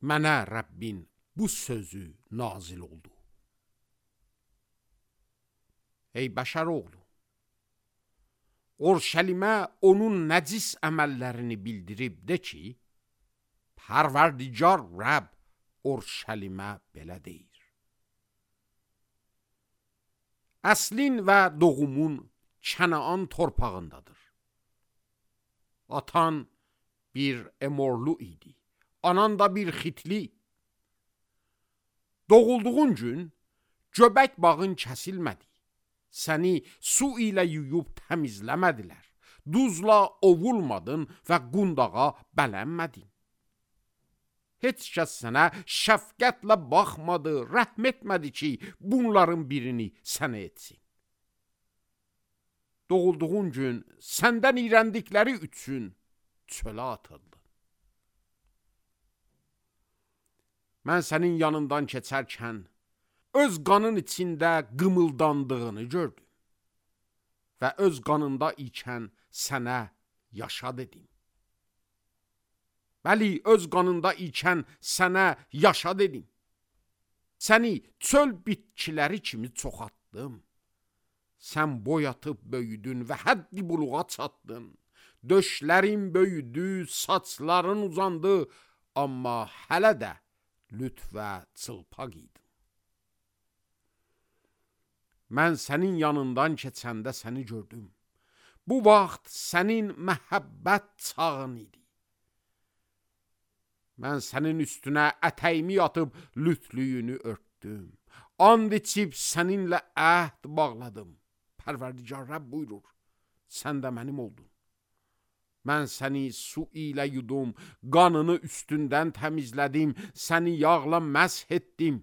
mənə Rəbbin bu sözü nazil oldu. Ey bəşər oğlu, Urşəlimə onun nəcis əməllərini bildirib de ki, Pərverdigar Rəbb Urşəlimə belə deyir. Əslin və doğumun Kənaan torpağındadır. Atan bir Emorlu idi, anan da bir Xitli. Doğulduğun gün göbək bağın kəsilmədi. Səni su ilə yuyub təmizləmədilər. Duzla ovulmadın və qundağa bələnmədin. Heç kəs sənə şəfqətlə baxmadı, rəhm etmədi ki, bunların birini sənə etsin. Doğulduğun gün səndən iyrəndikləri üçün çölə atıldın. Mən sənin yanından keçərkən öz qanın içində qımıldandığını gördüm və öz qanında ikən sənə yaşa dedim. Bəli, öz qanında ikən sənə yaşa dedim. Səni çöl bitkiləri kimi çoxaltdım. Sən boy atıb böyüdün və həddi buluğa çatdın. Döşlərin böyüdü, saçların uzandı, amma hələ də lüt və çılpaq idin. Mən sənin yanından keçəndə səni gördüm. Bu vaxt sənin məhəbbət çağın idi. Mən sənin üstünə ətəyimi atıb lütlüyünü örtdüm. And içib səninlə əhd bağladım. Pərverdigar Rəbb buyurur, sən də mənim oldun. Mən səni su ilə yudum, qanını üstündən təmizlədim, səni yağla məsh etdim.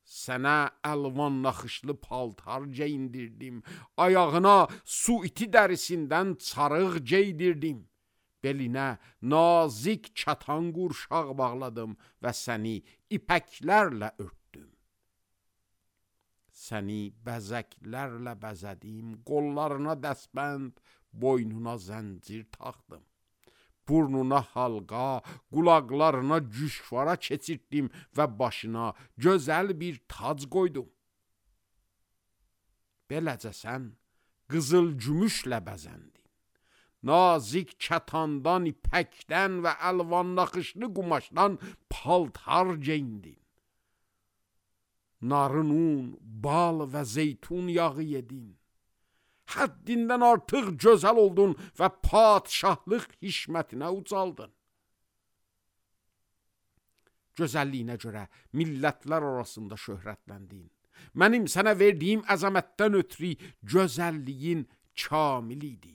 Sənə əlvan naxışlı paltar geyindirdim, ayağına su iti dərisindən çarıq geydirdim. Belinə nazik katan qurşaq bağladım və səni ipəklərlə örtdüm. Səni bəzəklərlə bəzədim, qollarına dəsbənd, boynuna zəncir taxdım. Burnuna halqa, qulaqlarına cüşvara keçirtdim və başına gözəl bir tac qoydum. Beləcə sən qızıl gümüşlə bəzəndin. Nazik kətandan, ipəkdən və əlvan naxışlı qumaşdan paltar geyindin. Narın un, bal və zeytun yağı yedin. Həddindən artıq gözəl oldun və padşahlıq hişmətinə ucaldın. Gözəlliyinə görə millətlər arasında şöhrətləndin. Mənim sənə verdiyim əzəmətdən ötürü gözəlliyin kamil idi.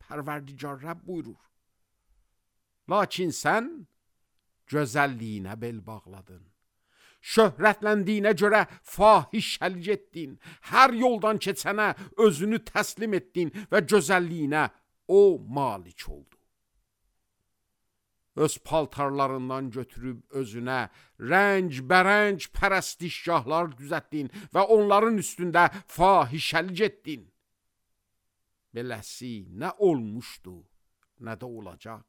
Pərverdigar Rəbb buyurur. Lakin sən gözəlliyinə bel bağladın. Şöhrətləndiyinə görə fahişəlik etdin. Hər yoldan keçənə özünü təslim etdin və gözəlliyinə o malik oldu. Öz paltarlarından götürüb özünə rəng-bərəng pərəstişgahlar düzətdin və onların üstündə fahişəlik etdin. Beləsi nə olmuşdu, nə də olacaq.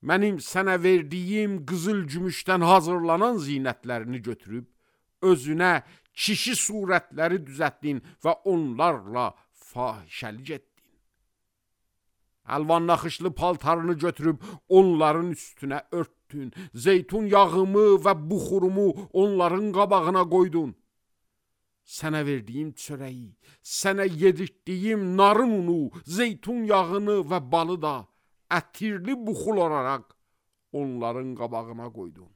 Mənim sənə verdiyim qızıl gümüşdən hazırlanan zinətlərini götürüb, özünə kişi surətləri düzətdin və onlarla fahişəlik etdin. Əlvan naxışlı paltarını götürüb onların üstünə örtdün, zeytun yağımı və buxurumu onların qabağına qoydun. Sənə verdiyim çörəyi, sənə yedirtdiyim narın unu, zeytun yağını və balı da ətirli buxul olaraq onların qabağına qoydun.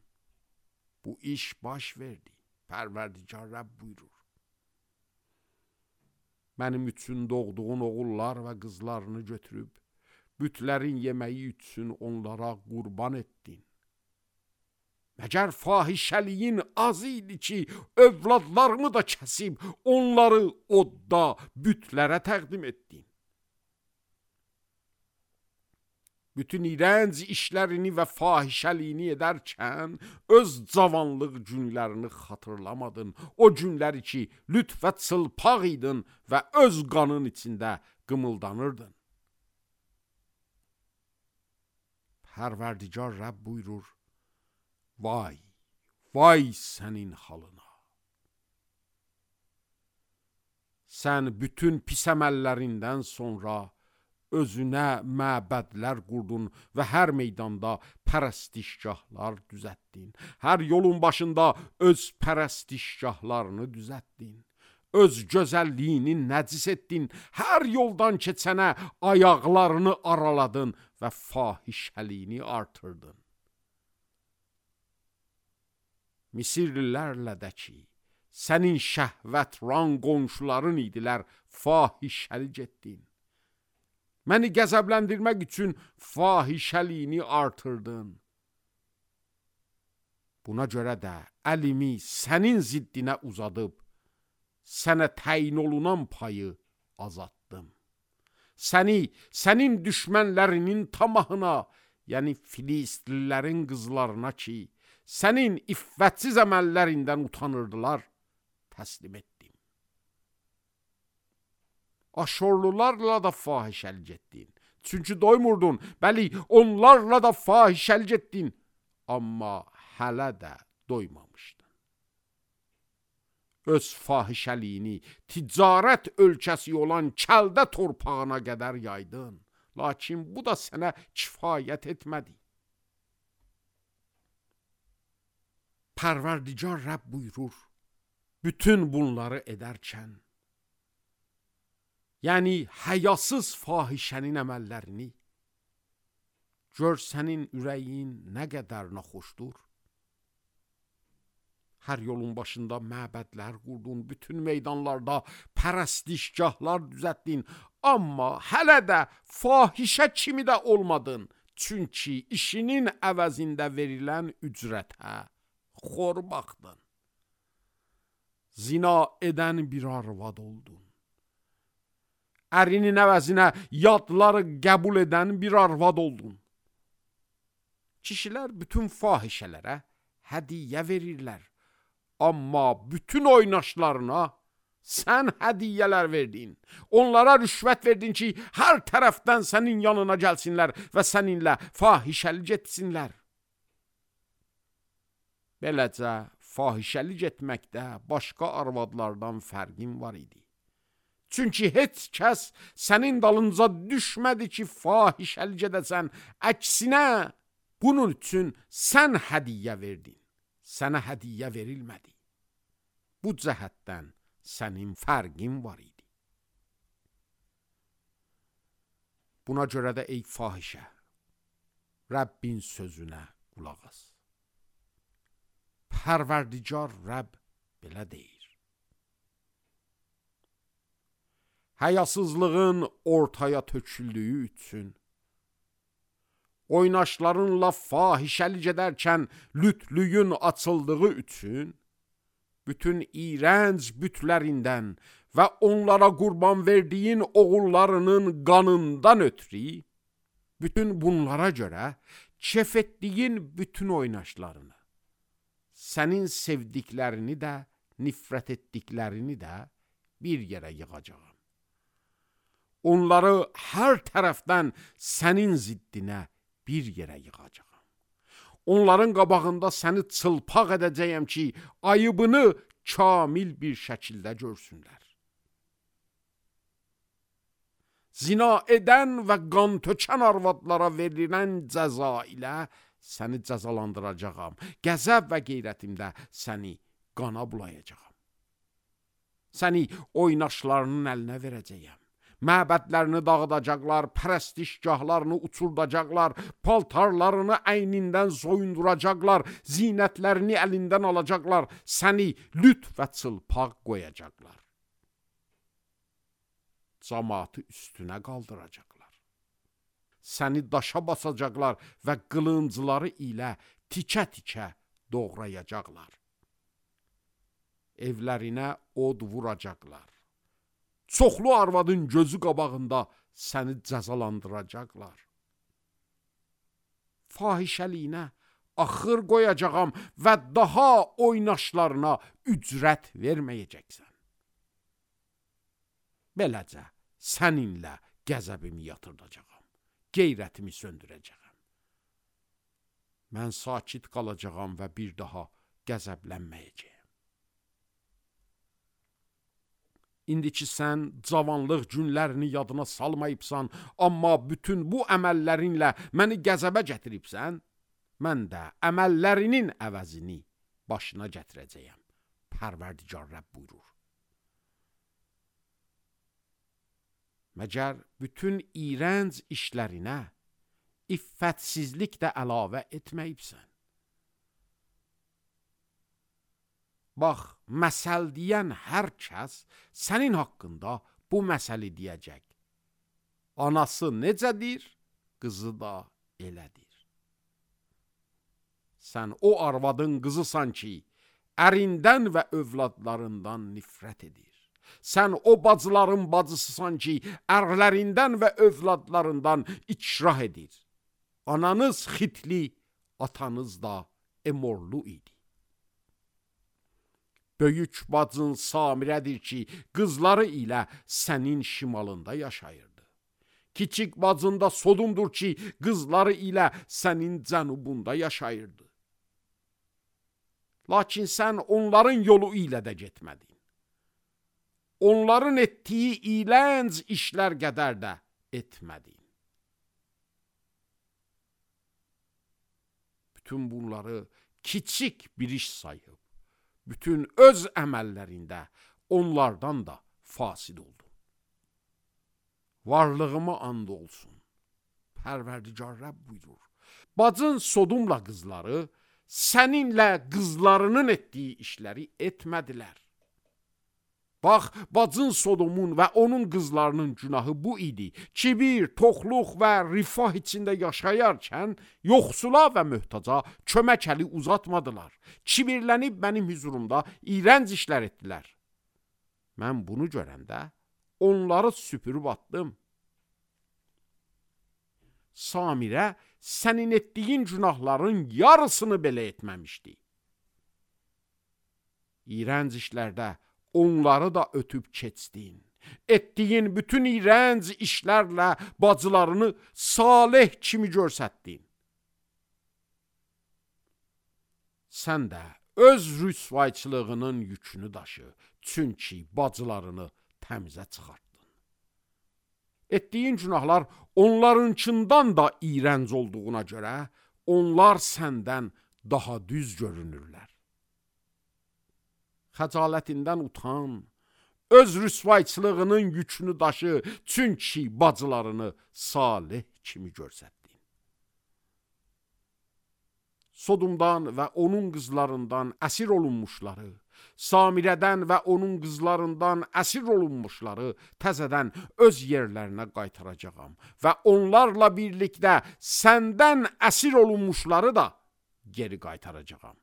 Bu iş baş verdi. Pərverdigar Rəbb buyurur. Mənim üçün doğduğun oğullar və qızlarını götürüb, bütlərin yeməyi üçün onlara qurban etdin. Məgər fahişəliyin az idi ki, övladlarımı da kəsib, onları odda bütlərə təqdim etdin. Bütün iğrənc işlərini və fahişəliyini edərkən öz cavanlıq günlərini xatırlamadın. O günləri ki, lütf və çılpaq idin və öz qanın içində qımıldanırdın. Pərverdigar Rəbb buyurur, Vay, vay sənin halına. Sən bütün pis əməllərindən sonra özünə məbədlər qurdun və hər meydanda pərəstişgahlar düzətdin. Hər yolun başında öz pərəstişgahlarını düzətdin. Öz gözəlliyini nəcis etdin. Hər yoldan keçənə ayaqlarını araladın və fahişəliyini artırdın. Misirlilərlə də ki, sənin şəhvətran qonşuların idilər, fahişəlik etdin. Məni qəzəbləndirmək üçün fahişəliyini artırdın. Buna görə də əlimi sənin ziddinə uzadıb, sənə təyin olunan payı azaltdım. Səni, sənin düşmənlərinin tamahına, yəni Filistlilərin qızlarına ki, sənin iffətsiz əməllərindən utanırdılar, təslim etdim. Aşorlularla da fahişəlik etdin. Çünki doymurdun, bəli, onlarla da fahişəlik etdin. Amma hələ də doymamışdın. Öz fahişəliyini ticarət ölkəsi olan Kəldə torpağına qədər yaydın. Lakin bu da sənə kifayət etmədi. Pərverdigar Rəbb buyurur, bütün bunları edərkən, yəni həyasız fahişənin əməllərini, gör sənin ürəyin nə qədər naxoşdur. Hər yolun başında məbədlər qurdun, bütün meydanlarda pərəstişgahlar düzətdin, amma hələ də fahişə kimi də olmadın, çünki işinin əvəzində verilən ücrətə xor baxdın. Zina edən bir arvad oldun. Ərinin əvəzinə yadları qəbul edən bir arvad oldun. Kişilər bütün fahişələrə hədiyyə verirlər. Amma bütün oynaşlarına sən hədiyyələr verdin. Onlara rüşvət verdin ki, hər tərəfdən sənin yanına gəlsinlər və səninlə fahişəlik etsinlər. Beləcə, fahişəlik etməkdə başqa arvadlardan fərqin var idi. Çünki heç kəs sənin dalınca düşmədi ki, fahişəlik edəsən. Əksinə, bunun üçün sən hədiyyə verdin. Sənə hədiyyə verilmədi. Bu cəhətdən sənin fərqin var idi. Buna görə də ey fahişə, Rəbbin sözünə qulaq as. Pərverdigar Rəbb belə deyir. Həyasızlığın ortaya töküldüyü üçün, oynaşlarınla fahişəlik edərkən lütlüyün açıldığı üçün, bütün iğrənc bütlərindən və onlara qurban verdiyin oğullarının qanından ötürü, bütün bunlara görə kef etdiyin bütün oynaşlarını, sənin sevdiklərini də, nifrət etdiklərini də bir yerə yığacağam. Onları hər tərəfdən sənin ziddinə bir yerə yığacağam. Onların qabağında səni çılpaq edəcəyəm ki, ayıbını kamil bir şəkildə görsünlər. Zina edən və qan tökən arvadlara verilən cəza ilə səni cəzalandıracağam. Qəzəb və qeyrətimdə səni qana bulayacağam. Səni oynaşlarının əlinə verəcəyəm. Məbədlərini dağıdacaqlar, pərəstişgahlarını uçurdacaqlar, paltarlarını əynindən soyunduracaqlar, zinətlərini əlindən alacaqlar, səni lüt və çılpaq qoyacaqlar. Camaatı üstünə qaldıracaqlar. Səni daşa basacaqlar və qılıncları ilə tikə-tikə doğrayacaqlar. Evlərinə od vuracaqlar. Çoxlu arvadın gözü qabağında səni cəzalandıracaqlar. Fahişəliyinə axır qoyacağam və daha oynaşlarına ücrət verməyəcəksən. Beləcə səninlə qəzəbimi yatırdacağam, qeyrətimi söndürəcəyəm. Mən sakit qalacağam və bir daha qəzəblənməyəcəyəm. İndiki sən cavanlıq günlərini yadına salmayıbsan, amma bütün bu əməllərinlə məni qəzəbə gətiribsən, mən də əməllərinin əvəzini başına gətirəcəyəm. Pərverdigar Rəbb buyurur. Məgər bütün iyrənc işlərinə iffətsizlik də əlavə etməyibsən. Bax, məsəl deyən hər kəs sənin haqqında bu məsəli deyəcək. Anası necədir, qızı da elədir. Sən o arvadın qızısan ki, ərindən və övladlarından nifrət edir. Sən o bacıların bacısısan ki, ərlərindən və övladlarından ikrah edir. Ananız xitli, atanız da emorlu idi. Böyük bacın Samirədir ki, qızları ilə sənin şimalında yaşayırdı. Kiçik bacın da Sodumdur ki, qızları ilə sənin cənubunda yaşayırdı. Lakin sən onların yolu ilə də getmədin. Onların etdiyi iyrənc işlər qədər də etmədin. Bütün bunları kiçik bir iş sayıb, bütün öz əməllərində onlardan da fasid oldun. Varlığıma and olsun. Pərverdigar Rəbb buyurur. Bacın Sodumla qızları səninlə qızlarının etdiyi işləri etmədilər. Bax, bacın Sodomun və onun qızlarının günahı bu idi. Kibir, toxluq və rifah içində yaşayarkən yoxsula və möhtaca kömək əli uzatmadılar. Kibirlənib mənim hüzurumda iyrənc işlər etdilər. Mən bunu görəndə onları süpürüb atdım. Samirə sənin etdiyin günahların yarısını belə etməmişdi. İyrənc işlərdə onları da ötüb keçdin. Etdiyin bütün iyrənc işlərlə bacılarını salih kimi görsətdin. Sən də öz rüsvayçılığının yükünü daşı, çünki bacılarını təmizə çıxartdın. Etdiyin günahlar onlarınkindən da iyrənc olduğuna görə, onlar səndən daha düz görünürlər. Xəcalətindən utan, öz rüsvayçılığının yükünü daşı, çünki bacılarını salih kimi görsətdin. Sodumdan və onun qızlarından əsir olunmuşları, Samirədən və onun qızlarından əsir olunmuşları təzədən öz yerlərinə qaytaracağam və onlarla birlikdə səndən əsir olunmuşları da geri qaytaracağam.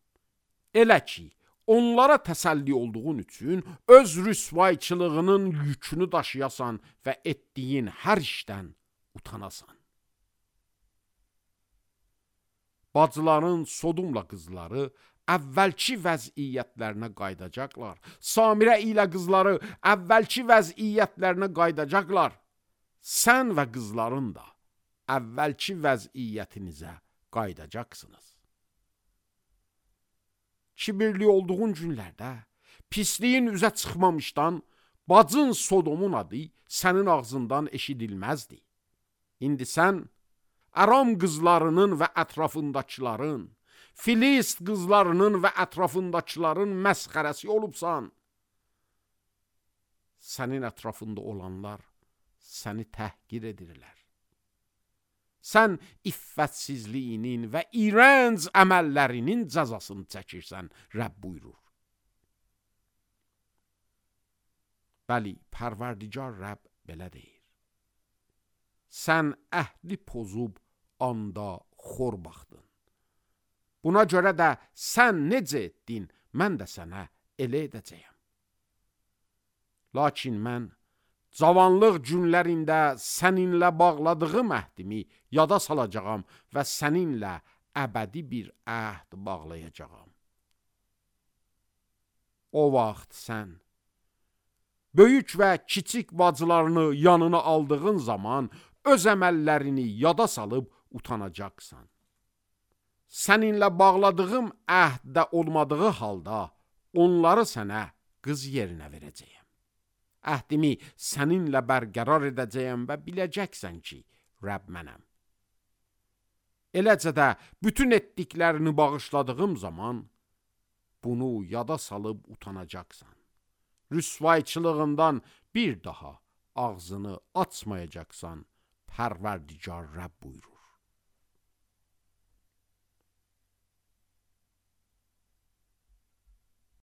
Elə ki, onlara təsəlli olduğun üçün öz rüsvayçılığının yükünü daşıyasan və etdiyin hər işdən utanasan. Bacıların Sodumla qızları əvvəlki vəziyyətlərinə qaydacaqlar. Samirə ilə qızları əvvəlki vəziyyətlərinə qaydacaqlar. Sən və qızların da əvvəlki vəziyyətinizə qaydacaqsınız. Kibirli olduğun günlərdə, pisliyin üzə çıxmamışdan, bacın Sodomun adı sənin ağzından eşidilməzdi. İndi sən Aram qızlarının və ətrafındakıların, Filist qızlarının və ətrafındakıların məsxərəsi olubsan. Sənin ətrafında olanlar səni təhqir edirlər. Sən iffətsizliyinin və iyrənc əməllərinin cəzasını çəkirsən, Rəbb buyurur. Bəli, Pərverdigar Rəbb belə deyir. Sən əhdi pozub anda xor baxdın. Buna görə də sən necə etdin, mən də sənə elə edəcəyəm. Lakin mən cavanlıq günlərində səninlə bağladığım əhdimi yada salacağam və səninlə əbədi bir əhd bağlayacağam. O vaxt sən böyük və kiçik bacılarını yanına aldığın zaman öz əməllərini yada salıb utanacaqsan. səninlə bağladığım əhdə olmadığı halda onları sənə qız yerinə verəcəyəm. Əhdimi səninlə bərqərar edəcəyəm və biləcəksən ki, Rəbb mənəm. Eləcə də bütün etdiklərini bağışladığım zaman bunu yada salıb utanacaqsan. Rüsvayçılığından bir daha ağzını açmayacaqsan, Pərverdigar Rəbb buyurur.